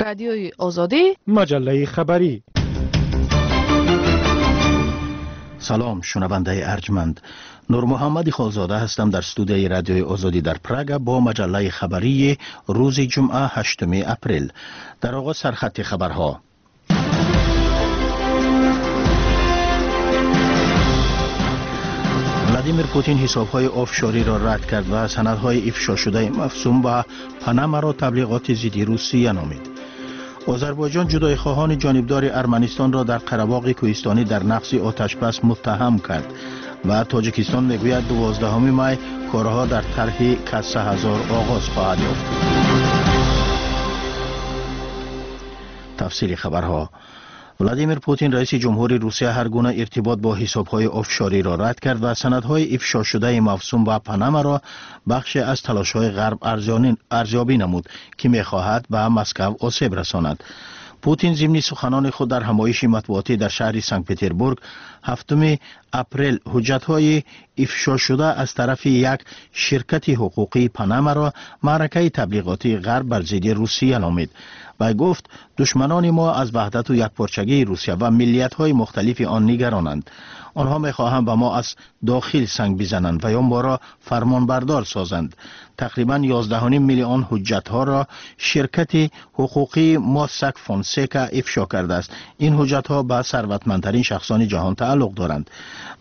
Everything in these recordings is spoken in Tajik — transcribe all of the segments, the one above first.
Радиои Озодӣ, маҷаллаи хабарӣ. Салом, шунавандаи арҷманд. Нурмуҳаммад Холзода ҳастам дар студияи Радиои Озодӣ дар Прага бо маҷаллаи хабарии рӯзи ҷумъа 8 апрел. Дар оғоз сархати хабарҳо. Владимир Путин ҳисобҳои офшориро рад кард ва санадҳои ифшошудаи мафсум ба Панамаро таблиғоти зидди Русия номид. Озарбойҷон ҷудоихоҳони ҷонибдори Арманистонро дар Қарабоғи кӯҳистонӣ дар нақзи оташбас муттаҳам кард ва Тоҷикистон мегӯяд 12 май корҳо дар тарҳи Касса ҳазор оғоз хоҳад ёфт. Тафсири хабарҳо. Владимир Путин, раиси ҷумҳури Русия, ҳар гуна иртибот бо ҳисобҳои офшориро рад кард ва санадҳои ифшошудаи мавсум ба Панамаро бахше аз талошҳои ғарб арзёбӣ намуд, ки мехоҳад ба Москав осеб расонад. Путин зимни суханони худ дар ҳамоиши матбуотӣ дар шаҳри Санкт-Петербург 7 апрел ҳуҷҷатҳои ифшошуда аз тарафи як ширкати ҳуқуқии Панамаро маъракаи таблиғотии ғарб бар зидди Русия номид. Вай гуфт, душманони мо аз ваҳдату якпорчагии Русия ва миллиятҳои мухталифи он нигаронанд. Онҳо мехоҳанд ба мо аз дохил санг бизананд ва ё моро фармонбардор созанд. Тақрибан 11.5 миллион ҳуҷҷатҳоро ширкати ҳуқуқии Моссак Фонсека ифшо кардааст. Ин ҳуҷҷатҳо ба сарватмандтарин шахсони ҷаҳон тааллуқ доранд.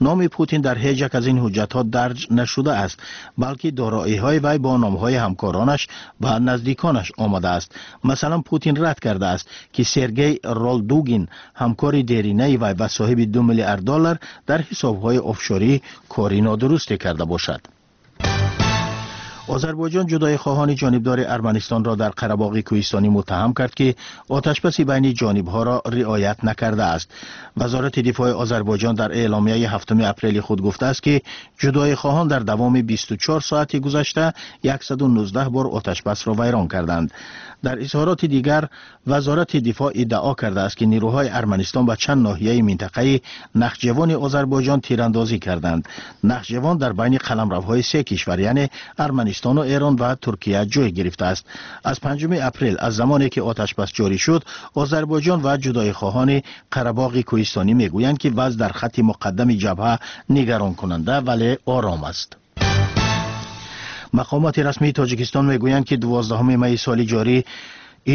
Номи Путин дар ҳеҷ як аз ин ҳуҷҷатҳо дарҷ нашудааст, балки дороиҳои вай бо номҳои ҳамкоронаш ва наздиконаш омадааст. Масалан, Путин рад кардааст, ки Сергей Ролдугин, ҳамкори деринаи вай ва соҳиби 2 миллиард доллар, дар ҳисобҳои офшорӣ кори нодурусте карда бошад. Озарбойҷон ҷудоихоҳони ҷонибдори Арманистонро дар Қарабоғи кӯҳистонӣ муттаҳам кард, ки оташбаси байни ҷонибҳоро риоят накардааст. Вазорати дифои Озарбойҷон дар эъломияи 7 апрели худ гуфтааст, ки ҷудоихоҳон дар давоми 24 соати гузашта 119 бор оташбасро вайрон карданд. Дар изҳороти дигар Вазорати дифоъ иддао кардааст, ки нирӯҳои Арманистон ба чанд ноҳияи минтақаи Нахҷевони Озарбойҷон тирандозӣ карданд. Нахҷевон дар байни қаламравҳои се кишвар, яъне Арманистону Эрон ва Туркия ҷой гирифтааст. Аз 5 апрел, аз замоне ки оташбас ҷорӣ шуд, Озарбойҷон ва ҷудоихоҳони Қарабоғи кӯҳистонӣ мегӯянд, ки вазъ дар хатти муқаддами ҷабҳа нигаронкунанда, вале ором аст. Мақомоти расмии Тоҷикистон мегӯянд, ки 12 майи соли ҷорӣ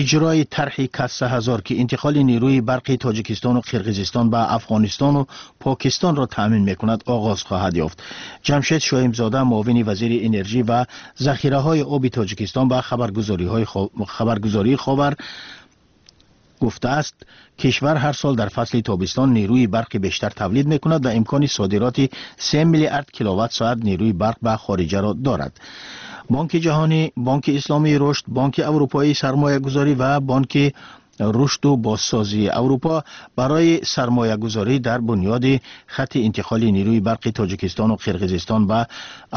иҷрои тарҳи Касса ҳазор, ки интиқоли нирӯи барқи Тоҷикистону Қирғизистон ба Афғонистону Покистонро таъмин мекунад, оғоз хоҳад ёфт. Ҷамшед Шоимзода, муовини вазири энержӣ ва захираҳои оби Тоҷикистон, ба хабаргузории Ховар гуфтааст, кишвар ҳар сол дар фасли тобистон нирӯи барқи бештар тавлид мекунад ва имкони содироти 3 миллиард киловатт-соат нирӯи барқ ба хориҷаро дорад. Бонки ҷаҳонӣ, Бонки Исломии рушд, Бонки Аврупоии сармоягузорӣ ва Бонки рушду бозсозии Аврупо барои сармоягузорӣ дар бунёди хатти интиқоли нирӯи барқи Тоҷикистону Қирғизистон ба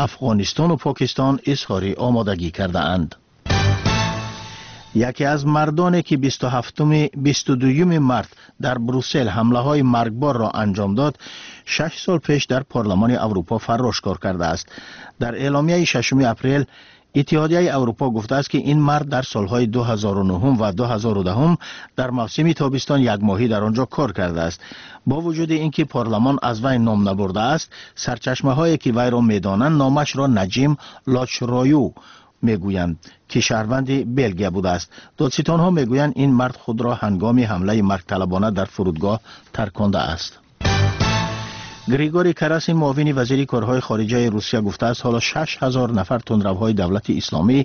Афғонистону Покистон изҳори омодагӣ кардаанд. Яке аз мардоне, ки 22 март дар Брюссел ҳамлаҳои маргборро анҷом дод, 6 сол пеш дар Парлумони Аврупо фаррош кор кардааст. Дар эъломияи 6 апрел Иттиҳодияи Аврупо гуфтааст, ки ин мард дар солҳои 2009 ва 2010 дар мавсими тобистон якмоҳӣ дар он ҷо кор кардааст. Бо вуҷуди ин ки парлумон аз вай ном набурдааст, сарчашмаҳое ки вайро медонанд номашро Наҷим Лочрою мегӯянд, ки шаҳрванди Белгия будааст. Додситонҳо мегӯянд, ин мард худро ҳангоми ҳамлаи маргталабона дар фурудгоҳ таркондааст. Григорий Карасин, муовини вазири корҳои хориҷаи Русия, гуфтааст, ҳоло 6000 нафар тундравҳои давлати исломӣ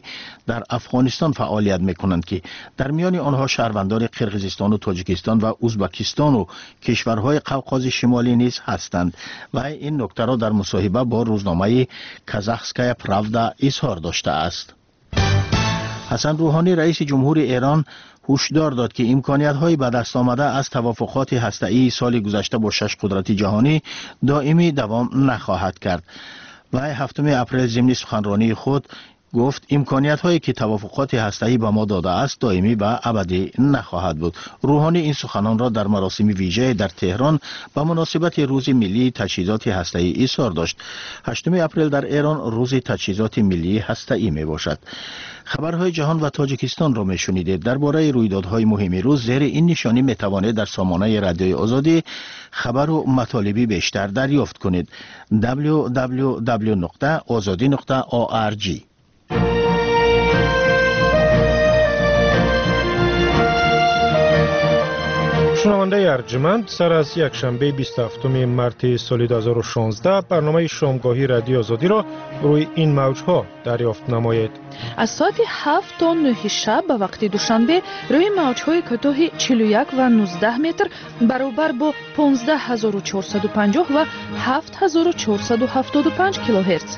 дар Афғонистон фаъолият мекунанд, ки дар миёни онҳо шаҳрвандони Қирғизистону Тоҷикистон ва Узбакистону кишварҳои Қавқози Шимолӣ низ ҳастанд. Ва ин нуктаро дар мусоҳиба бо рӯзномаи Казахская правда изҳор доштааст. Ҳасан Рӯҳонӣ, раиси ҷумҳури Эрон, ҳушдор дод, ки имкониятҳои ба даст омада аз тавофуқоти ҳастаии соли гузашта бо 6 қудрати ҷаҳонӣ доимӣ давом нахоҳад кард. Вай 7 апрел зимни суханронии худ Гуфт имкониятҳое ки тавофуқоти ҳастаӣ ба мо додааст доимӣ ва абадӣ нахоҳад буд. Рӯҳонӣ ин суханонро дар маросими вижае дар Теҳрон ба муносибати рӯзи миллии таҷҳизоти ҳастаӣ изҳор дошт. 8 апрел дар Эрон рӯзи таҷҳизоти миллии ҳастаӣ мебошад. Хабарҳои ҷаҳон ва Тоҷикистонро мешунидед. Дар бораи рӯйдодҳои муҳими рӯз зери ин нишонӣ метавонед дар сомонаи Радиои Озодӣ хабару матолиби бештар дарёфт кунед. www.ozodi.org. Шунавандаи арҷманд, сар аз якшанбеи 27 марти соли 2016 барномаи шомгоҳии Радиои Озодиро рӯи ин мавҷҳо дарёфт намоед. Аз соати 7 то 9 шаб ба вақти Душанбе рӯи мавҷҳои кӯтоҳи 41 ва 19 метр баробар бо 15450 ва 7475 килогерц.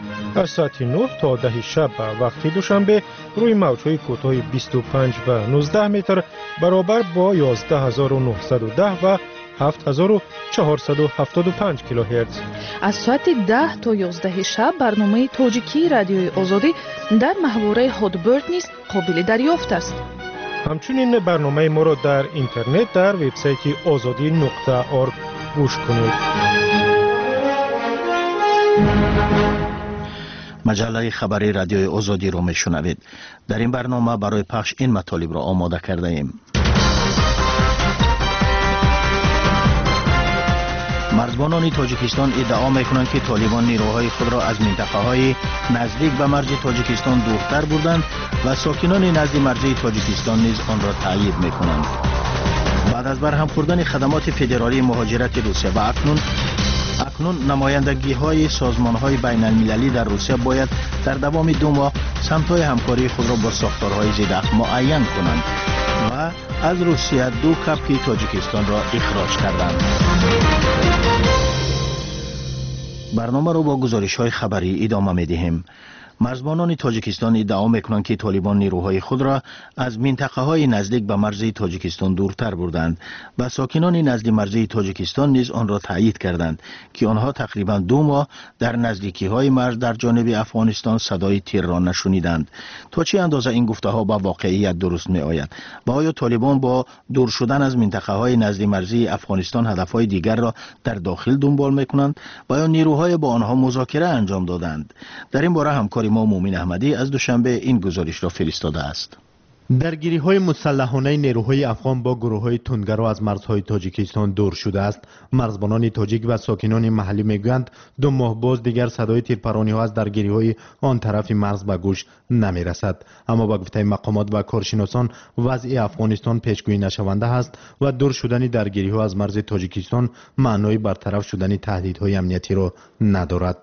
Аз соати 9 то 10 шаб ба вақти Душанбе рӯи мавҷҳои кӯтоҳи 25 ва 19 метр баробар бо 11910 ва 7475 килогерц. Аз соати 10 то 11 шаб барномаи тоҷикии Радиои Озодӣ дар маҳвораи Hotbird низ қобили дарёфт аст. Ҳамчунин барномаи моро дар интернет дар вебсайти ozodi.org гӯш кунед. Маҷаллаи хабари Радиои Озодиро мешунавед. Дар ин барнома барои пахш ин матолибро омода кардаем. Марзбонони Тоҷикистон иддао мекунанд, ки толибон нерӯҳои худро аз минтақаҳои наздик ба марзи Тоҷикистон дуртар бурданд ва сокинони назди марзии Тоҷикистон низ онро таъйид мекунанд. Баъд аз барҳам хӯрдани хадамоти федералии муҳоҷирати Русия ва акнун намояндагиҳои созмонҳои байналмилалӣ дар Русия бояд дар давоми 2 моҳ самтҳои ҳамкории худро бо сохторҳои зидахт муайян кунанд ва аз Русия 2 капки Тоҷикистонро ихроҷ карданд. Барномаро бо гузоришҳои хабарӣ идома медиҳем. Марзбонони Тоҷикистон иддао мекунанд, ки толибон нерӯҳои худро аз минтақаҳои наздик ба марзи Тоҷикистон дуртар бурданд ва сокинони назди марзии Тоҷикистон низ онро таъйид карданд, ки онҳо тақрибан 2 моҳ дар наздикиҳои марз дар ҷониби Афғонистон садои тирро нашуниданд. То чӣ андоза ин гуфтаҳо ба воқеият дуруст меояд ва оё толибон бо дур шудан аз минтақаҳои назди марзии Афғонистон ҳадафҳои дигарро дар дохил дунбол мекунанд ва ё нерӯҳое бо онҳо музокира анҷом доданд? Дар ин бора ҳамкори мо Мӯмин Аҳмадӣ аз Душанбе ин гузоришро фиристодааст. Даргириҳои мусаллаҳонаи нерӯҳои афғон бо гурӯҳҳои тундгаро аз марзҳои Тоҷикистон дур шудааст. Марзбонони тоҷик ва сокинони маҳаллӣ мегӯянд, 2 моҳ боз дигар садои тирпарониҳо аз даргириҳои он тарафи марз ба гӯш намерасад. Аммо ба гуфтаи мақомот ва коршиносон вазъи Афғонистон пешгӯӣ нашаванда аст ва дур шудани даргириҳо аз марзи Тоҷикистон маънои бартараф шудани таҳдидҳои амниятиро надорад.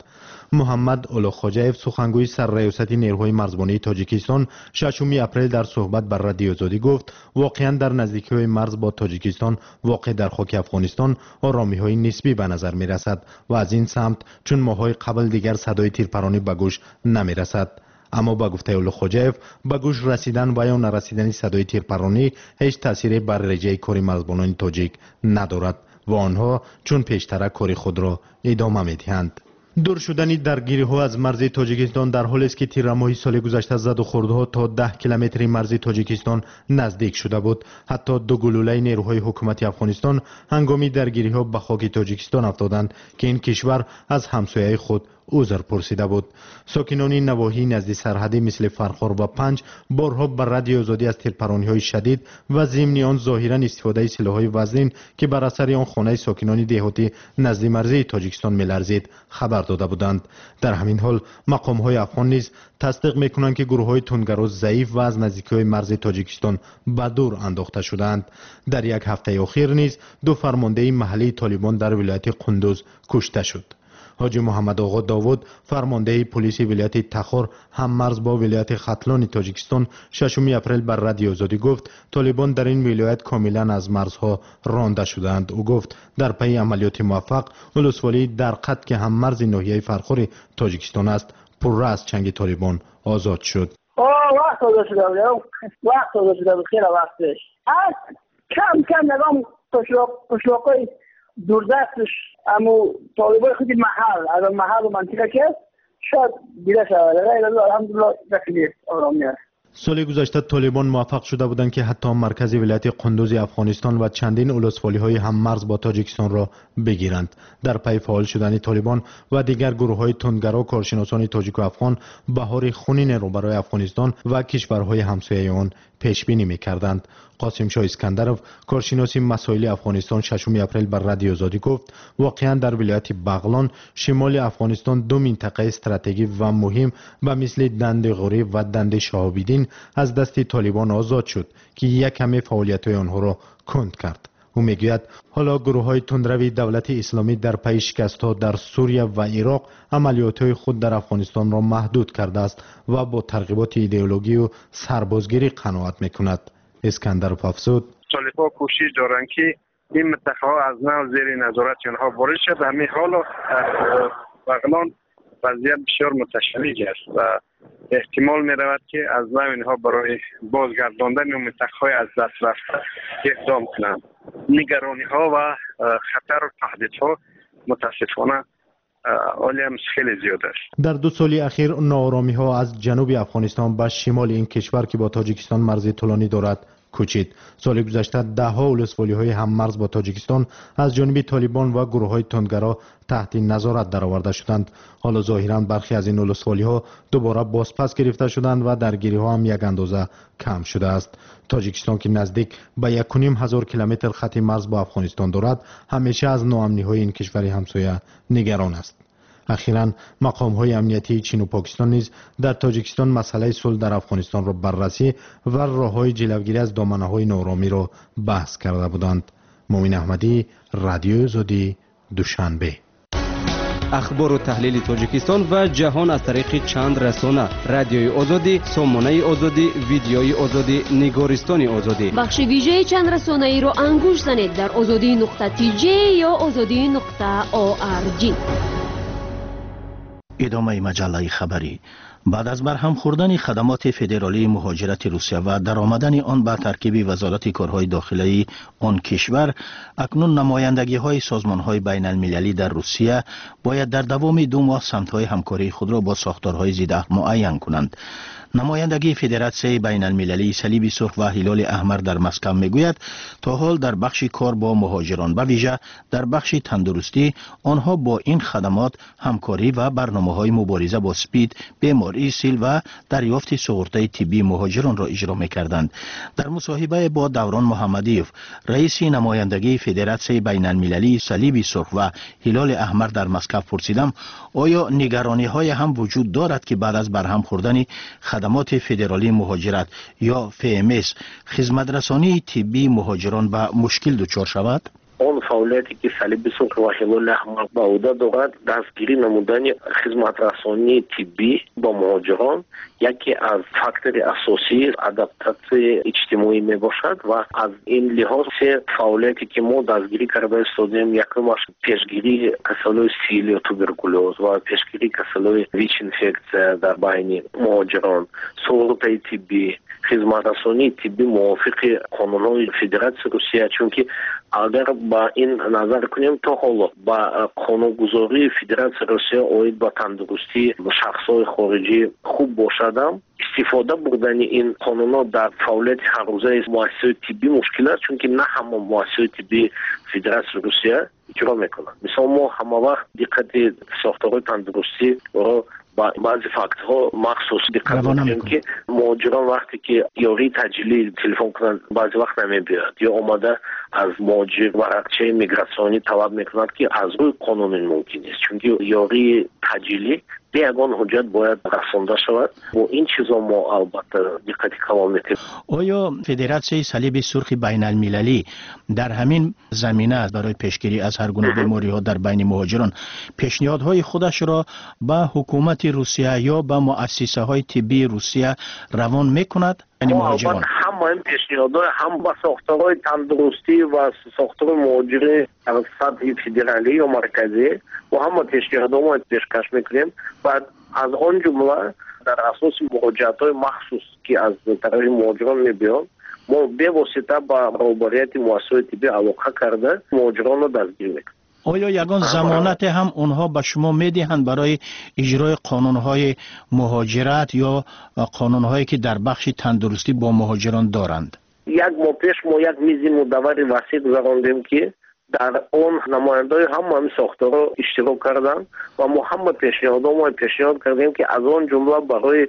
Муҳаммад Олуғхоҷаев, сухангӯи сарраёсати нерӯҳои марзбонии Тоҷикистон, 6 апрел дар суҳбат бар Радиои Озодӣ гуфт, воқеан дар наздикиҳои марз бо Тоҷикистон воқеъ дар хоки Афғонистон оромиҳои нисбӣ ба назар мерасад ва аз ин самт чун моҳҳои қабл дигар садои тирпаронӣ ба гӯш намерасад. Аммо ба гуфтаи Олуғхоҷаев, ба гӯш расидан ва ё нарасидани садои тирпаронӣ ҳеҷ таъсире бар реҷаи кори марзбонони тоҷик надорад ва онҳо чун пештара кори худро идома медиҳанд. Дур шудани даргириҳо аз марзи Тоҷикистон дар ҳолест, ки тиррамоҳи соли гузашта задухӯрдҳо то 10 километри марзи Тоҷикистон наздик шуда буд. Ҳатто 2 гулӯлаи нерӯҳои ҳукумати Афғонистон ҳангоми даргириҳо ба хоки Тоҷикистон афтоданд, ки ин кишвар аз ҳамсояи худ узр пурсида буд. Сокинони навоҳии назди сарҳадӣ мисли Фархор ва Панҷ борҳо ба Радиои Озодӣ аз тирпарониҳои шадид ва зимни он зоҳиран истифодаи силоҳҳои вазнин, ки бар асари он хонаи сокинони деҳотӣ назди марзии Тоҷикистон меларзид, хабар дода буданд. Дар ҳамин ҳол мақомҳои афғон низ тасдиқ мекунанд, ки гурӯҳҳои тундгаро заиф ва аз наздикиҳои марзи Тоҷикистон ба дур андохта шудаанд. Дар як ҳафтаи охир низ 2 фармондеҳи маҳаллии толибон дар вилояти Қундуз кушта шуд. Ҳоҷи Муҳаммадоғо Довуд, фармондеҳи полиси вилояти Тахор ҳаммарз бо вилояти Хатлони Тоҷикистон, 6 апрел бар Радиои Озодӣ гуфт, толибон дар ин вилоят комилан аз марзҳо ронда шудаанд. Ӯ гуфт, дар пайи амалиёти муваффақ улусволии Дарқат, ки ҳаммарзи ноҳияи Фархори Тоҷикистон аст, пурра аз чанги толибон озод шуд. Вақт озод шуда буд, вақт озод шуда буд, хеле вақт пеш. Кам кам нагом қишлоқҳои дурдастш, аммо толибои худи маҳал, аз маҳалу мантиқа ки аст, شاید دیده شود. غیر از الحمدلله خیلی آرامی است. Соли гузашта толибон муваффақ шуда буданд, ки ҳатто маркази вилояти Қундузи Афғонистон ва чандин улусволиҳои ҳаммарз бо Тоҷикистонро бигиранд. Дар пайи фаъол шудани толибон ва дигар гурӯҳҳои тундгаро, коршиносони тоҷику афғон баҳори хунинеро барои Афғонистон ва кишварҳои ҳамсояи он пешбинӣ мекарданд. Қосимшоҳ Искандаров, коршиноси масоили Афғонистон, 6 апрел ба Радиои Озодӣ гуфт, воқеан дар вилояти Бағлон, шимоли Афғонистон, ду минтақаи стратегӣ ва муҳим ба мисли Данди Ғурӣ ва Данди Шаҳобиддин аз дасти толибон озод шуд, ки як каме фаъолиятҳои онҳоро кунд кард. Ӯ мегӯяд, ҳоло гурӯҳҳои тундрави Давлати Исломӣ дар пайи шикастҳо дар Сурия ва Ироқ амалиётҳои худ дар Афғонистонро маҳдуд кардааст ва бо тарғиботи идеологию сарбозгирӣ қаноат мекунад. Искандаров афзуд: толибҳо кӯшиш доранд, ки ин минтақаҳо аз нав зери назорати онҳо ворид шуд. Ҳамин ҳоло Бағлон вазъият бисёр муташанниҷ аст ва эҳтимол меравад, ки аз нав инҳо барои бозгардондани минтақаҳои аз даст рафта иқдом кунанд. Нигарониҳо ва хатару таҳдидҳо мутаассифона ҳолиам хеле зиёд аст. Дар 2 соли ахир нооромиҳо аз ҷануби Афғонистон ба шимоли ин кишвар, ки бо Тоҷикистон марзи тӯлонӣ дорад, кӯчид. Соли гузашта даҳҳо улусволиҳои ҳаммарз бо Тоҷикистон аз ҷониби толибон ва гурӯҳҳои тундгаро таҳти назорат дароварда шуданд. Ҳоло зоҳиран бархе аз ин улусволиҳо дубора бозпас гирифта шуданд ва даргириҳо ҳам як андоза кам шудааст. Тоҷикистон, ки наздик ба 1500 километр хати марз бо Афғонистон дорад, ҳамеша аз ноамниҳои ин кишвари ҳамсоя нигарон аст. Ахиран мақомҳои амниятии Чину Покистон низ дар Тоҷикистон масъалаи сулҳ дар Афғонистонро баррасӣ ва роҳҳои ҷилавгирӣ аз доманаҳои нооромиро баҳс карда буданд. Муъмин Аҳмадӣ, Радиои Озодӣ, Душанбе. Ахбору таҳлили Тоҷикистон ва ҷаҳон аз тариқи чанд расона: Радиои Озодӣ, Сомонаи Озодӣ, Видеои Озодӣ, Нигористони Озодӣ. Бахши вижаи чанд расонаиро ангуш занед дар озодӣ.тj ё озодӣ.org. Идомаи маҷаллаи хабарӣ. Баъд аз барҳам хӯрдани хадамоти федералии муҳоҷирати Русия ва даромадани он ба таркиби Вазорати корҳои дохилаи он кишвар, акнун намояндагиҳои созмонҳои байналмилалӣ дар Русия бояд дар давоми 2 моҳ самтҳои ҳамкории худро бо сохторҳои зидаҳл муайян кунанд. Намояндагии Федератсияи байналмилалии Салиби Сурх ва Ҳилоли Аҳмар дар Москав мегӯяд, то ҳол дар бахши кор бо муҳоҷирон, ба вижа дар бахши тандурустӣ, онҳо бо ин хадамот ҳамкорӣ ва барномаҳои мубориза бо спид, бемории сил ва дарёфти суғуртаи тиббии муҳоҷиронро иҷро мекарданд. Дар мусоҳибае бо Даврон Муҳаммадиев, раиси намояндагии Федератсияи байналмилалии Салиби Сурх ва Ҳилоли Аҳмар дар Москав, пурсидам, оё нигарониҳое ҳам вуҷуд дорад, ки баъд аз барҳам хӯрдани хадамоти федералии муҳоҷират ё ФМС хизматрасонии тиббии муҳоҷирон ба мушкил дучор шавад? Он фаъолияте, ки Салиби Сурх ва Ҳилоли Аҳмар ба ӯҳда дорад, дастгирӣ намудани хизматрасонии тиббӣ ба муҳоҷирон яке аз фактори асосии адаптатсияи иҷтимоӣ мебошад ва аз ин лиҳоз се фаъолияте, ки мо дастгирӣ карда истодем, якумаш пешгирии касалиҳои сил ё туберкулёз ва пешгирии касалиҳои ВИЧ-инфексия дар байни муҳоҷирон, суғуртаи тиббӣ, хизматрасонии тиббӣ мувофиқи қонунҳои Федератсияи Русия, чунки агар ба ин назар кунем, то ҳоло ба қонунгузории Федератсияи Русия оид ба тандурустии шахсҳои хориҷӣ хуб бошадам, истифода бурдани ин қонунҳо дар фаъолияти ҳаррӯзаи муассисаҳои тиббӣ мушкил аст, чунки на ҳама муассисаҳои тиббии Федератсияи Русия иҷро мекунанд. Мисол, мо ҳамавақт диққати сохторҳои тандурустиро ба баъзе фактҳо махсус диққат мекунем, ки муҳоҷирон вақте ки ёрии таъҷилӣ телефон кунанд, баъзе вақт намебиёяд ё омада аз муҳоҷир варақчаи мигратсионӣ талаб мекунад, ки аз рӯи қонун ин мумкин нест, чунки ёрии таъҷилӣ бе ягон ҳуҷҷат бояд расонда шавад. Бо ин чизо мо албатта диққати калон метиҳем. Оё Федератсияи Салиби Сурхи байналмилалӣ дар ҳамин замина барои пешгирӣ аз ҳар гуна бемориҳо дар байни муҳоҷирон пешниҳодҳои худашро ба ҳукумати Русия ё ба муассисаҳои тиббии Русия равон мекунад? Яъне муҳоҷирон ҳама ин пешниҳодҳо ҳам ба сохторҳои тандурустӣ ва сохторҳои муҳоҷирӣ дар сатҳи федералӣ ё марказӣ ва ҳама пешниҳодҳо мо пешкаш мекунем ва аз он ҷумла дар асоси муроҷиатҳои махсус, ки аз тарафи муҳоҷирон мебиёнд, мо бевосита ба роҳбарияти муассисаҳои тиббӣ алоқа карда муҳоҷиронро дастгир мекунем. Оё ягон замонате ҳам онҳо ба шумо медиҳанд барои иҷрои қонунҳои муҳоҷират ё қонунҳое ки дар бахши тандурустӣ бо муҳоҷирон доранд? Як моҳ пеш мо як мизи мудаввари васеъ гузарондем, ки дар он намояндаҳои ҳама ҳамин сохторҳо иштирок карданд ва мо ҳама пешниҳодҳо мо пешниҳод кардем, ки аз он ҷумла барои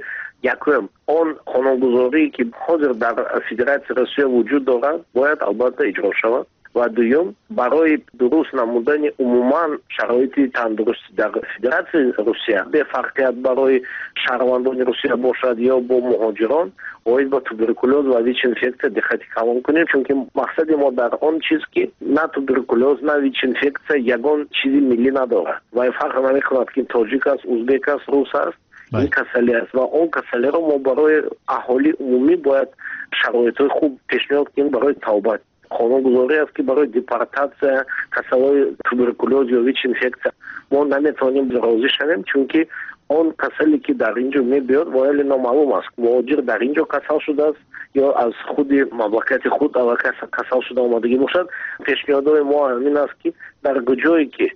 якум он қонунгузорие ки ҳозир дар Федератсияи Русия вуҷуд дорад, бояд албатта иҷро шавад, ва дуюм барои дуруст намудани умуман шароити тандурустӣ дар Федератсияи Русия бефарқият барои шаҳрвандони Русия бошад ё бо муҳоҷирон, оид ба туберкулёз ва ВИЧ-инфексия диққати калон кунем, чунки мақсади мо дар он чиз ки на туберкулёз, на ВИЧ-инфексия ягон чизи миллӣ надорад ва фарқ намекунад ки тоҷик аст, узбек аст, рус аст, ин касалӣ аст ва он касалиро мо барои аҳолии умумӣ бояд шароитҳои хуб пешниҳод кунем барои тавбат. Қонунгузорӣ аст ки барои депортатсия касалҳои туберкулёз ё ВИЧ-инфексия мо наметавонем розӣ шавем, чунки он касале ки дар ин ҷо мебиёд вояли номаълум аст, муҳоҷир дар ин ҷо касал шудааст ё аз худи мамлакати худ аллакай касал шуда омадагӣ бошад. Пешниҳодҳои мо ҳамин аст ки дар ҷое ки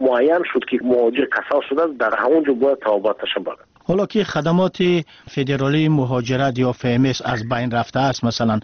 муайян шуд ки муҳоҷир касал шудааст, дар ҳамон ҷо бояд табобаташа барад. Ҳоло ки хадамоти федералии муҳоҷират ё ФМС аз байн рафтааст, масалан,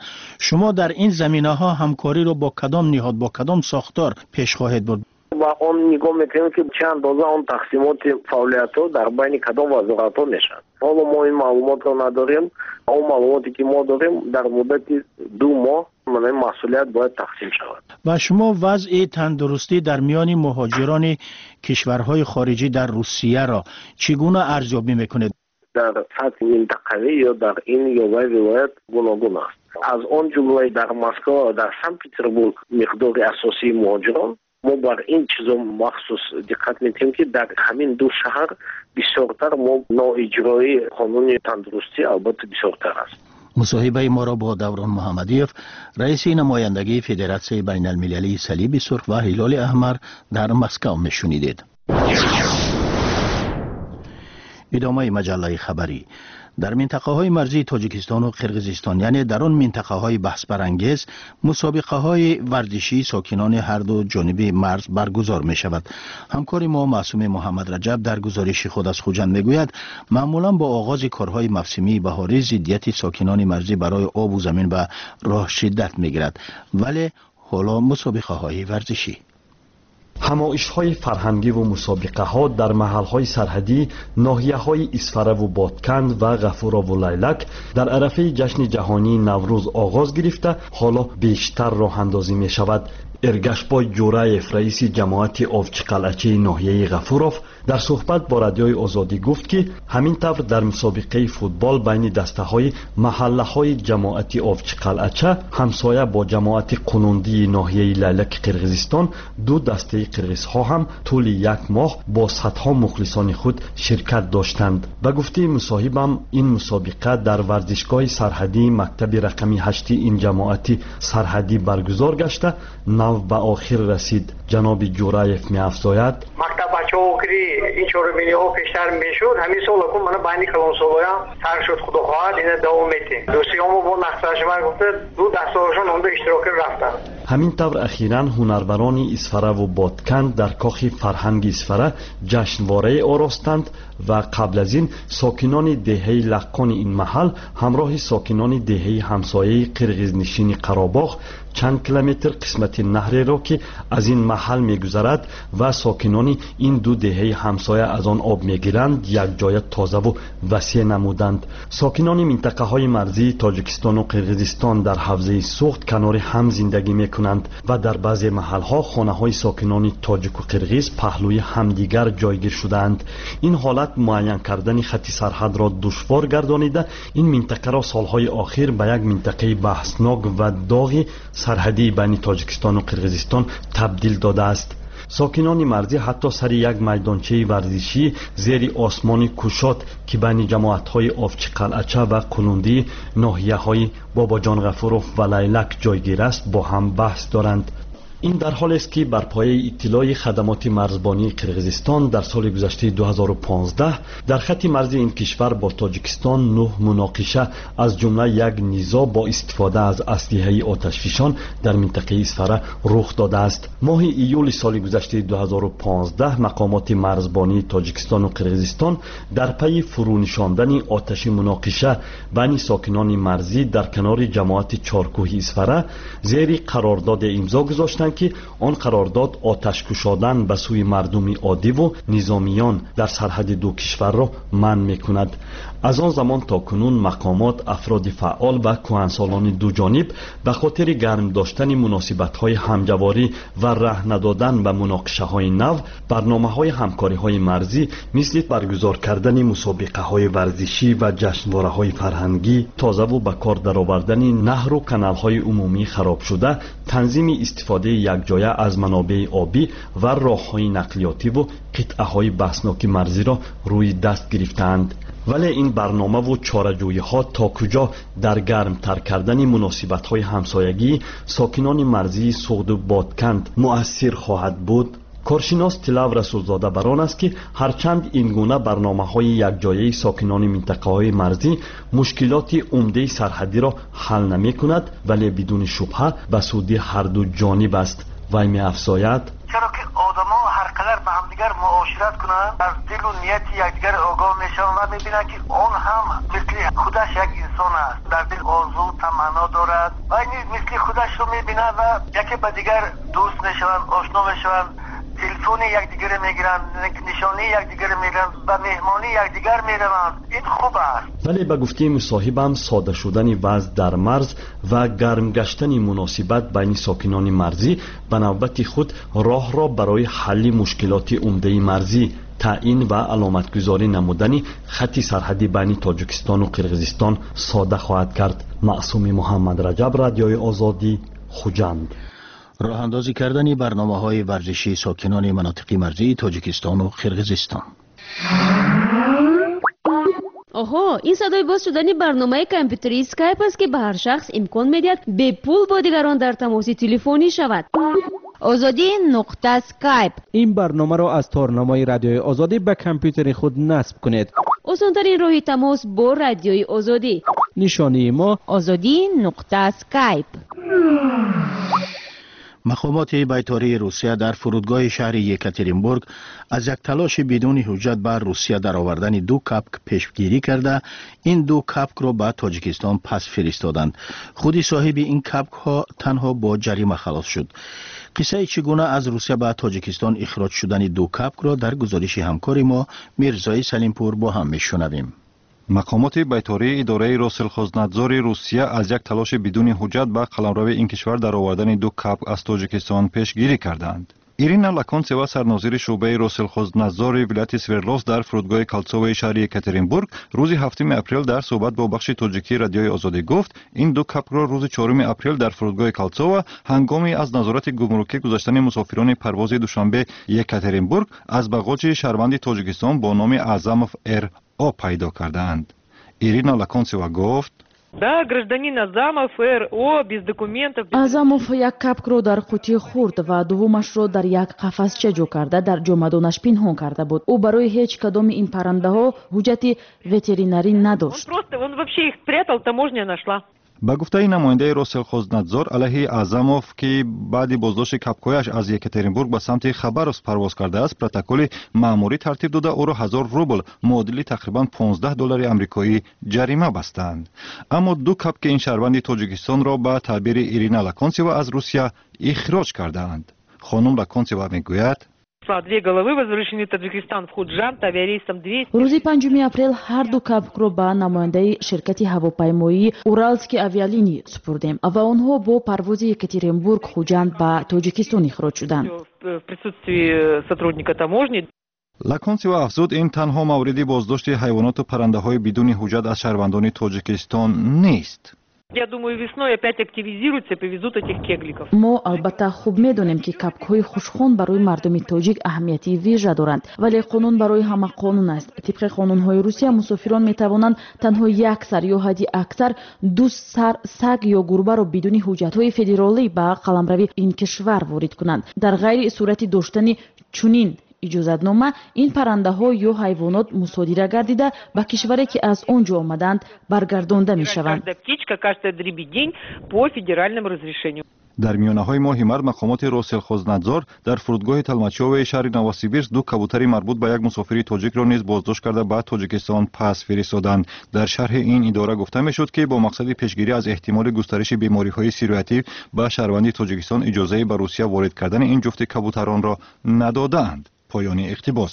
шумо дар ин заминаҳо ҳамкориро бо кадом ниҳод, бо кадом сохтор пеш хоҳед бурд? Ва он нигоҳ мекунем ки чӣ андоза он тақсимоти фаъолиятҳо дар байни кадом вазоратҳо мешавад. Ҳоло мо ин маълумотро надорем. Он маълумоте ки мо дорем, дар муддати 2 моҳ ин масъулият бояд тақсим шавад. Ва шумо вазъи тандурустӣ дар миёни муҳоҷирони кишварҳои хориҷӣ дар Русияро чӣ гуна арзёбӣ мекунед? Дар сатҳи минтақавӣ ё дар ин ё вай вилоят гуногун аст. Аз он ҷумла дар Москва ва дар Санкт-Петербург миқдори асосии муҳоҷирон, мо бар ин чизо махсус диққат медиҳем, ки дар ҳамин ду шаҳр бисёртар мо ноиҷрои қонуни тандурустӣ албатта бисёртар аст. Мусоҳибаи моро бо Даврон Муҳаммадиев, раиси намояндагии Федератсияи байналмилалии Салиби Сурх ва Ҳилоли Аҳмар дар Москав мешунидед. Идомаи маҷаллаи хабарӣ. Дар минтақаҳои марзии Тоҷикистону Қирғизистон, яъне дар он минтақаҳои баҳсбарангез, мусобиқаҳои варзишии сокинони ҳарду ҷониби марз баргузор мешавад. Ҳамкори мо Маъсуми Муҳаммад Раҷаб дар гузориши худ аз Хуҷанд мегӯяд, маъмулан бо оғози корҳои мавсимии баҳорӣ зиддияти сокинони марзӣ барои обу замин ба роҳ шиддат мегирад, вале ҳоло мусобиқаҳои варзишӣ. Ҳамоишҳои фарҳангиву мусобиқаҳо дар маҳалҳои сарҳадӣ ноҳияҳои Исфараву Бодканд ва Ғафурову Лайлак дар арафаи ҷашни ҷаҳонии Наврӯз оғоз гирифта, ҳоло бештар роҳандозӣ мешавад. Эргашбой Ҷураев, раиси ҷамоати Овчиқалъачаи ноҳияи Ғафуров, дар суҳбат бо Радиои Озодӣ гуфт, ки ҳамин тавр дар мусобиқаи футбол байни дастаҳои маҳаллаҳои ҷамоати Овчиқалъача ҳамсоя бо ҷамоати Қунундии ноҳияи Лайлаки Қирғизистон ду дастаи қирғизҳо ҳам тӯли як моҳ бо садҳо мухлисони худ ширкат доштанд. Ба гуфтаи мусоҳибам, ин мусобиқа дар варзишгоҳи сарҳадии мактаби рақами 8 ин ҷамоати сарҳадӣ баргузор гашта, нав ба охир расид. Ҷаноби Ҷураев меафзояд: мактаб бачаҳо ки ин чорабиниҳо пештар мешуд, ҳамин сол акун мана байни калонсолоям сар шуд, худо хоҳад ина давом метем. Дӯстиёмо бо нақшашмар гуфта ду дастаҳошон онда иштирок рафтанд. Ҳамин тавр ахиран ҳунарварони Исфараву Бодканд дар кохи фарҳанги Исфара ҷашнворае оростанд ва қабл аз ин сокинони деҳаи Лаққони ин маҳал ҳамроҳи сокинони деҳаи ҳамсояи қирғизнишини Қаробоғ чанд километр қисмати наҳреро, ки аз ин маҳал мегузарад ва сокинони ин ду деҳаи ҳамсоя аз он об мегиранд, якҷоя тозаву васеъ намуданд. Сокинони минтақаҳои марзии Тоҷикистону Қирғизистон дар ҳавзаи Суғд канори ҳам зиндагӣ мекунанд ва дар баъзе маҳалҳо хонаҳои сокинони тоҷику қирғиз паҳлӯи ҳамдигар ҷойгир шудаанд. Ин ҳолат муайян кардани хати сарҳадро душвор гардонида, ин минтақаро солҳои охир ба як минтақаи баҳснок ва доғи сарҳадии байни Тоҷикистону Қирғизистон табдил додааст. Сокинони марзӣ ҳатто сари як майдончаи варзишӣ зери осмони кушод, ки байни ҷамоатҳои Овчиқалъача ва Қулундии ноҳияҳои Бобоҷон Ғафуров ва Лайлак ҷойгир аст, бо ҳам баҳс доранд. Ин дар ҳолест, ки бар пояи иттилои хадамоти марзбонии Қирғизистон дар соли гузаштаи 2015 дар хатти марзи ин кишвар бо Тоҷикистон нӯҳ муноқиша, аз ҷумла як низоъ бо истифода аз аслиҳаи оташфишон дар минтақаи Исфара рух додааст. Моҳи июли соли гузаштаи 2015 мақомоти марзбонии Тоҷикистону Қирғизистон дар пайи фурӯнишондани оташи муноқиша байни сокинони марзӣ дар канори ҷамоати Чоркӯҳи Исфара зери қарордоде имзо гузоштанд, ки он қарордод оташкушодан ба сӯи мардуми оддиву низомиён дар сарҳади ду кишварро манъ мекунад. Аз он замон то кунун мақомот, афроди фаъол ва кӯҳансолони дуҷониб ба хотири гарм доштани муносибатҳои ҳамҷаворӣ ва раҳ надодан ба муноқишаҳои нав барномаҳои ҳамкориҳои марзӣ, мисли баргузор кардани мусобиқаҳои варзишӣ ва ҷашнвораҳои фарҳангӣ, тозаву ба кор даровардани наҳру каналҳои умумии харобшуда, танзими истифодаи якҷоя аз манобеи обӣ ва роҳҳои нақлиётиву қитъаҳои баҳсноки марзиро рӯи даст гирифтаанд. Вале ин барномаву чораҷӯиҳо то куҷо дар гармтар кардани муносибатҳои ҳамсоягии сокинони марзии Суғду Бодканд муассир хоҳад буд? Коршинос Тилав Расулзода бар он аст, ки ҳарчанд ин гуна барномаҳои якҷояи сокинони минтақаҳои марзӣ мушкилоти умдаи сарҳадиро ҳал намекунад, вале бидуни шубҳа ба суди ҳарду ҷониб аст. Вай меафзояд: чаро ки одамо ҳар қадар ба ҳамдигар муошират кунанд, аз дилу нияти якдигар огоҳ мешаванд ва мебинанд, ки он ҳам мисли худаш як инсон аст, дар дил орзу таманно дорад ва низ мисли худашро мебинад ва яке ба дигар дӯст мешаванд, ошно мешаванд, телефони якдигарро мегиранд, нишонии якдигарро мегиранд, ба меҳмонии якдигар мераванд. Ин хуб аст. Вале ба гуфтаи мусоҳибам, сода шудани вазъ дар марз ва гарм гаштани муносибат байни сокинони марзӣ ба навбати худ роҳро барои ҳалли мушкилоти умдаи марзӣ, таъин ва аломатгузорӣ намудани хатти сарҳадӣ байни Тоҷикистону Қирғизистон сода хоҳад кард. Маъсуми Муҳаммад Раҷаб, Радиои Озодӣ, Хуҷанд. Роҳандозӣ кардани барномаҳои варзишии сокинони манотиқи марзии Тоҷикистону Қирғизистон. Оҳо, ин садои боз шудани барномаи компютерии Скайп аст, ки ба ҳар шахс имкон медиҳад бепул бо дигарон дар тамоси телефонӣ шавад. Озодӣ нуқта Скайп. Ин барномаро аз торнамои Радиои Озодӣ ба компютери худ насб кунед. Осонтарин роҳи тамос бо Радиои Озодӣ. Нишонии мо: Озодӣ нуқта Скайп. Мақомоти байтории Русия дар фурудгоҳи шаҳри Екатеринбург аз як талоши бидуни ҳуҷҷат ба Русия даровардани ду капк пешгирӣ карда, ин ду капкро ба Тоҷикистон пас фиристоданд. Худи соҳиби ин капкҳо танҳо бо ҷарима халос шуд. Қиссаи чӣ гуна аз Русия ба Тоҷикистон ихроҷ шудани ду капкро дар гузориши ҳамкори мо Мирзои Салимпур бо ҳам мешунавем. Мақомоти байтории идораи Россельхознадзори Русия аз як талоши бидуни ҳуҷҷат ба қаламрави ин кишвар даровардани ду капк аз Тоҷикистон пешгирӣ карданд. Ирина Лаконцева, сарнозири шӯъбаи Россельхознадзори вилояти Свердловск дар фурудгоҳи Кольцовои шаҳри Екатеринбург, рӯзи 7 апрел дар суҳбат бо бахши тоҷикии Радиои Озодӣ гуфт, ин ду капкро рӯзи 4 апрел дар фурудгоҳи Кольцова ҳангоми аз назорати гумрукӣ гузаштани мусофирони парвози Душанбе Екатеринбург аз бағоҷи шаҳрванди Тоҷикистон бо номи Аъзамов Р О пайдо кардаанд. Ирина Лаконцева гуфт: Да, гражданин Азамов Р О без документов. Азамов як капкро дар қутии хурд ва дуввумашро дар як қафасча ҷо карда, дар ҷомадонаш пинҳон карда буд. Ӯ барои ҳеҷ кадоми ин паррандаҳо ҳуҷҷати ветеринарӣ надошт. Он просто, он вообще их прятал, таможня нашла. Ба гуфтаи намояндаи Россельхознадзор, алайҳи Аъзамов, ки баъди боздошти капкҳояш аз Екатеринбург ба самти Хабаровск парвоз кардааст, протоколи маъмурӣ тартиб дода, ӯро 1000 рубл, муодили тақрибан 15 доллари амрикоӣ, ҷарима бастанд. Аммо ду капки ин шаҳрванди Тоҷикистонро ба таъбири Ирина Лаконцева аз Русия ихроҷ кардаанд. Хонум Лаконцева мегӯяд: Две головы возвращены в Таджикистан, в Худжанд, авиарейсом 200. Рӯзи 5 апрел ҳар ду капкро ба намояндаи ширкати ҳавопаймоии Уральские авиалинии супурдем ва онҳо бо парвози Екатеринбург Хуҷанд ба Тоҷикистон ихроҷ шуданд. В присутствии сотрудника таможни. Лаконцева афзуд, ин танҳо мавриди боздошти ҳайвоноту паррандаҳои бидуни ҳуҷҷат аз шаҳрвандони Тоҷикистон нест. Я думаю, весной опять активизируются и повезут этих кегликов. Мо албатта хуб медонем, ки кабкҳои хушхон барои мардуми тоҷик аҳамияти вижа доранд, вале қонун барои ҳама қонун аст. Тибқи қонунҳои Русия, мусофирон метавонанд танҳо як сар ё ҳадди аксар ду сар саг ё гурбаро бидуни ҳуҷҷатҳои федералӣ ба қаламрави ин кишвар ворид кунанд. Дар ғайри сурати доштани чунин иҷозатнома, ин паррандаҳо ё ҳайвонот мусодира гардида, ба кишваре, ки аз он ҷо омадаанд, баргардонда мешаванд. Каждая птичка, каждая дребедень по федеральному разрешению. Дар миёнаҳои моҳи март мақомоти Россельхознадзор дар фурудгоҳи Толмачёвои шаҳри Новосибирск ду кабутари марбут ба як мусофири тоҷикро низ боздошт карда, ба Тоҷикистон пас фиристоданд. Дар шарҳи ин идора гуфта мешуд, ки бо мақсади пешгирӣ аз эҳтимоли густариши бемориҳои сироятӣ ба шаҳрванди Тоҷикистон иҷозаи ба Русия ворид кардани ин ҷуфти кабутаронро надодаанд. Поёни иқтибос.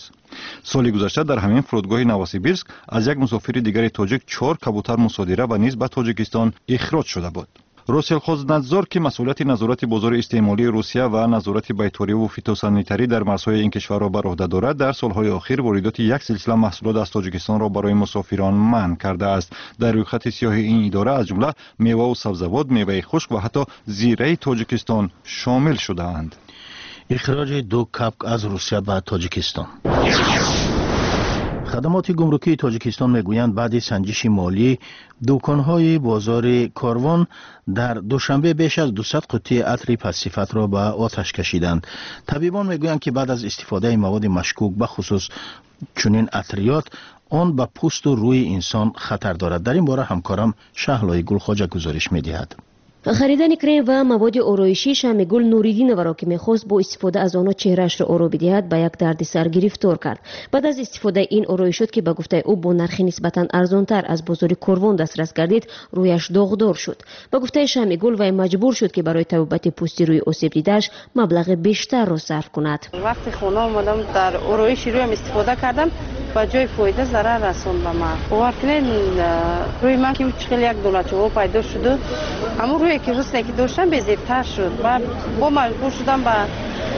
Соли гузашта дар ҳамин фурудгоҳи Новосибирск аз як мусофири дигари тоҷик чор кабутар мусодира ва низ ба Тоҷикистон ихроҷ шуда буд. Россельхознадзор, ки масъулияти назорати бозори истеъмолии Русия ва назорати байториву фитосанитарӣ дар марзҳои ин кишварро бар уҳда дорад, дар солҳои охир воридоти як силсила маҳсулот аз Тоҷикистонро барои мусофирон манъ кардааст. Дар рӯйхати сиёҳи ин идора аз ҷумла меваву сабзавот, меваи хушк ва ҳатто зираи Тоҷикистон шомил шудаанд. Ихроҷи ду кабк аз Русия ба Тоҷикистон. Хадамоти гумрукии Тоҷикистон мегӯянд, баъди санҷиши молӣ дуконҳои бозори Корвон дар Душанбе беш аз 200 қуттии атри пастсифатро ба оташ кашиданд. Табибон мегӯянд, ки баъд аз истифодаи маводи машкук, бахусус чунин атриёт, он ба пӯсту рӯи инсон хатар дорад. Дар ин бора ҳамкорам Шаҳлои Гулхоҷа гузориш медиҳад. Харидани крем ва маводи ороишӣ Шамигул Нуриддиноваро, ки мехост бо истифода аз онҳо чеҳраашро оро бидиҳад, ба як дарди сар гирифтор кард. Баъд аз истифодаи ин ороишот, ки ба гуфтаи ӯ бо нархи нисбатан арзонтар аз бозори Корвон дастрас гардид, рӯяш доғдор шуд. Ба гуфтаи Шамигул, вай маҷбур шуд, ки барои табобати пӯсти рӯи осебдидааш маблағи бештарро сарф кунад. Вақти хона омадам, дар ороиши рӯям истифода кардам, ба ҷои фоида зарар расонд ба ман. Бовар кунед, рӯи ман ки чӣ хел як доначаҳо пайдо шуду, ҳамун рӯе ки ҳусне ки доштам, безебтар шуд. Ва бо маҷбур шудам ба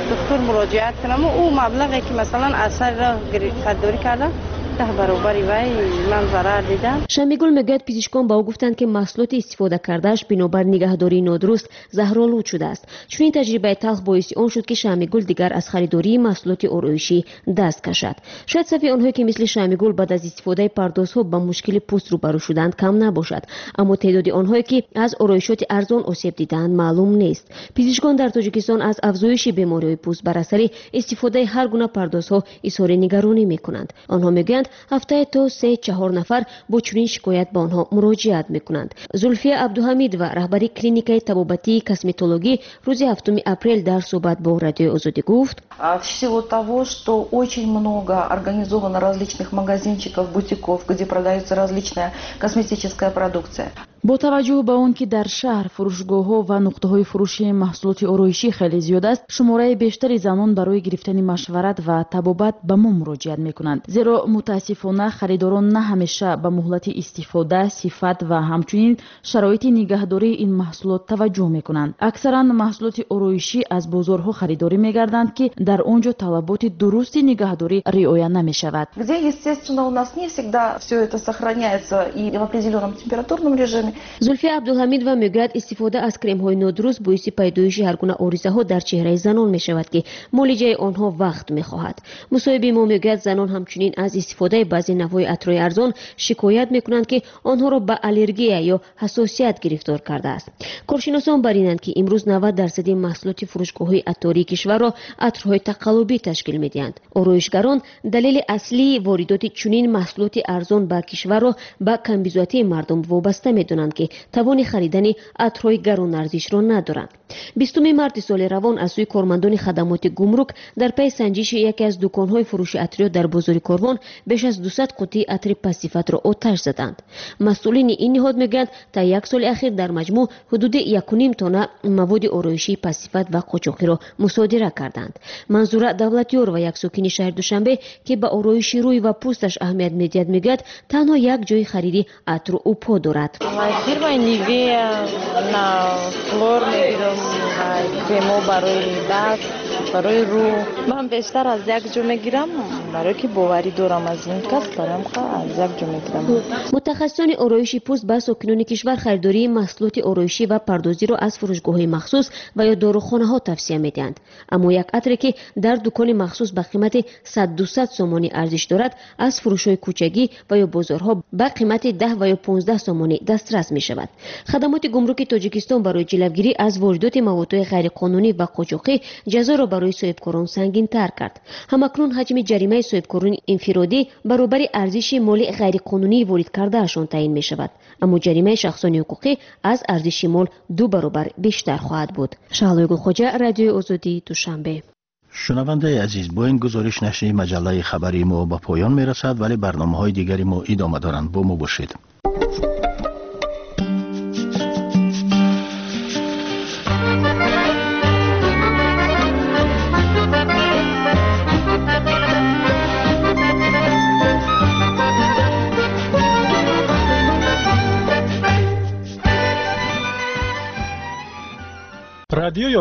духтур муроҷиат кунам. Ӯ маблағе ки масалан аз сари роҳ харидорӣ кардам, 10 баробари вай ман зарар дидам. Шамигул мегӯяд, пизишкон ба ӯ гуфтанд, ки маҳсулоти истифода кардааш бинобар нигаҳдории нодуруст заҳролуд шудааст. Чунин таҷрибаи талх боиси он шуд, ки Шамигул дигар аз харидории маҳсулоти ороишӣ даст кашад. Шояд сафи онҳое, ки мисли Шамигул баъд аз истифодаи пардозҳо ба мушкили пӯст рӯбарӯ шуданд, кам набошад, аммо теъдоди онҳое, ки аз ороишоти арзон осеб дидаанд, маълум нест. Пизишкон дар Тоҷикистон аз афзоиши бемориҳои пӯст бар асари истифодаи ҳар гуна пардозҳо изҳори нигаронӣ мекунанд. Онҳо мегӯянд, ҳафтае то 3-4 нафар бо чунин шикоят ба онҳо муроҷиат мекунанд. Зулфия Абдуҳамидова, раҳбари клиникаи табобатии косметологӣ, рӯзи 7 апрел дар суҳбат бо Радиои Озодӣ гуфт: В силу того, что очень много организовано различных магазинчиков, бутиков, где продается различная косметическая продукция. Бо таваҷҷӯҳ ба он ки дар шаҳр фурӯшгоҳҳо ва нуқтаҳои фурӯши маҳсулоти ороишӣ хеле зиёд аст, шумораи бештари занон барои гирифтани машварат ва табобат ба мо муроҷиат мекунанд, зеро мутаассифона харидорон на ҳамеша ба муҳлати истифода, сифат ва ҳамчунин шароити нигаҳдории ин маҳсулот таваҷҷӯҳ мекунанд. Аксаран маҳсулоти ороишӣ аз бозорҳо харидорӣ мегарданд, ки дар он ҷо талаботи дурусти нигаҳдорӣ риоя намешавад. Где, естественно, у нас не всегда все это сохраняется и в определенном температурном режиме. Зулфия Абдулҳамидова мегӯяд, истифода аз кремҳои нодуруст боиси пайдоиши ҳар гуна оризаҳо дар чеҳраи занон мешавад, ки муолиҷаи онҳо вақт мехоҳад. Мусоҳиби мо мегӯяд, занон ҳамчунин аз истифодаи баъзе навъҳои атрои арзон шикоят мекунанд, ки онҳоро ба аллергия ё ҳассосият гирифтор кардааст. Коршиносон бар инанд, ки имрӯз 90% маҳсулоти фурӯшгоҳҳои аттории кишварро атрҳои тақаллубӣ ташкил медиҳанд. Ороишгарон далели аслии воридоти чунин маҳсулоти арзон ба кишварро ба камбизоатии мардум вобаста медонанд, ки тавони харидани атрҳои гаронарзишро надоранд. 20 марти соли равон аз сӯи кормандони хадамоти гумрук дар пайи санҷиши яке аз дуконҳои фурӯши атриёт дар бозори Корвон беш аз 200 қуттии атри пастсифатро оташ заданд. Масъулини ин ниҳод мегӯянд, та як соли ахир дар маҷмӯъ ҳудуди 1,5 тонна маводи ороишии пастсифат ва қочоқиро мусодира карданд. Манзура Давлатёрова, як сокини шаҳри Душанбе, ки ба ороиши рӯй ва пӯсташ аҳамият медиҳад, мегӯяд, танҳо як ҷои хариди атру упо дорад. Фирмаи Нивея на хлор мегирам, кремо барои даст. Барои рӯ ман бештар аз як ҷо мегирам, барое ки боварӣ дорам аз ин кас, бароям аз як ҷо мегирам. Мутахассисони ороиши пӯст ба сокинони кишвар харидории маҳсулоти ороишӣ ва пардозиро аз фурӯшгоҳҳои махсус ва ё дорухонаҳо тавсия медиҳанд. Аммо як атре ки дар дукони махсус ба қимати 100-200 сомонӣ арзиш дорад, аз фурӯшҳои кӯчагӣ ва ё бозорҳо ба қимати 10 ва ё 15 сомонӣ дастрас мешавад. Хадамоти гумруки Тоҷикистон барои ҷилавгирӣ аз воридоти маводҳои ғайриқонунӣ ва қочоқӣ ҷазоро барои соҳибкорон сангинтар кард. Ҳамакнун ҳаҷми ҷаримаи соҳибкорони инфиродӣ баробари арзиши моли ғайриқонунӣ ворид кардаашон таъин мешавад. Аммо ҷаримаи шахсони ҳуқуқӣ аз арзиши мол 2 баробар бештар хоҳад буд. Шаҳлои Гулхоҷа, Радиои Озодӣ, Душанбе. Шунавандаи азиз, бо ин гузориш нашри маҷаллаи хабарии мо ба поён мерасад, вале барномаҳои дигари мо идома доранд. Бо мо бошед. Радиои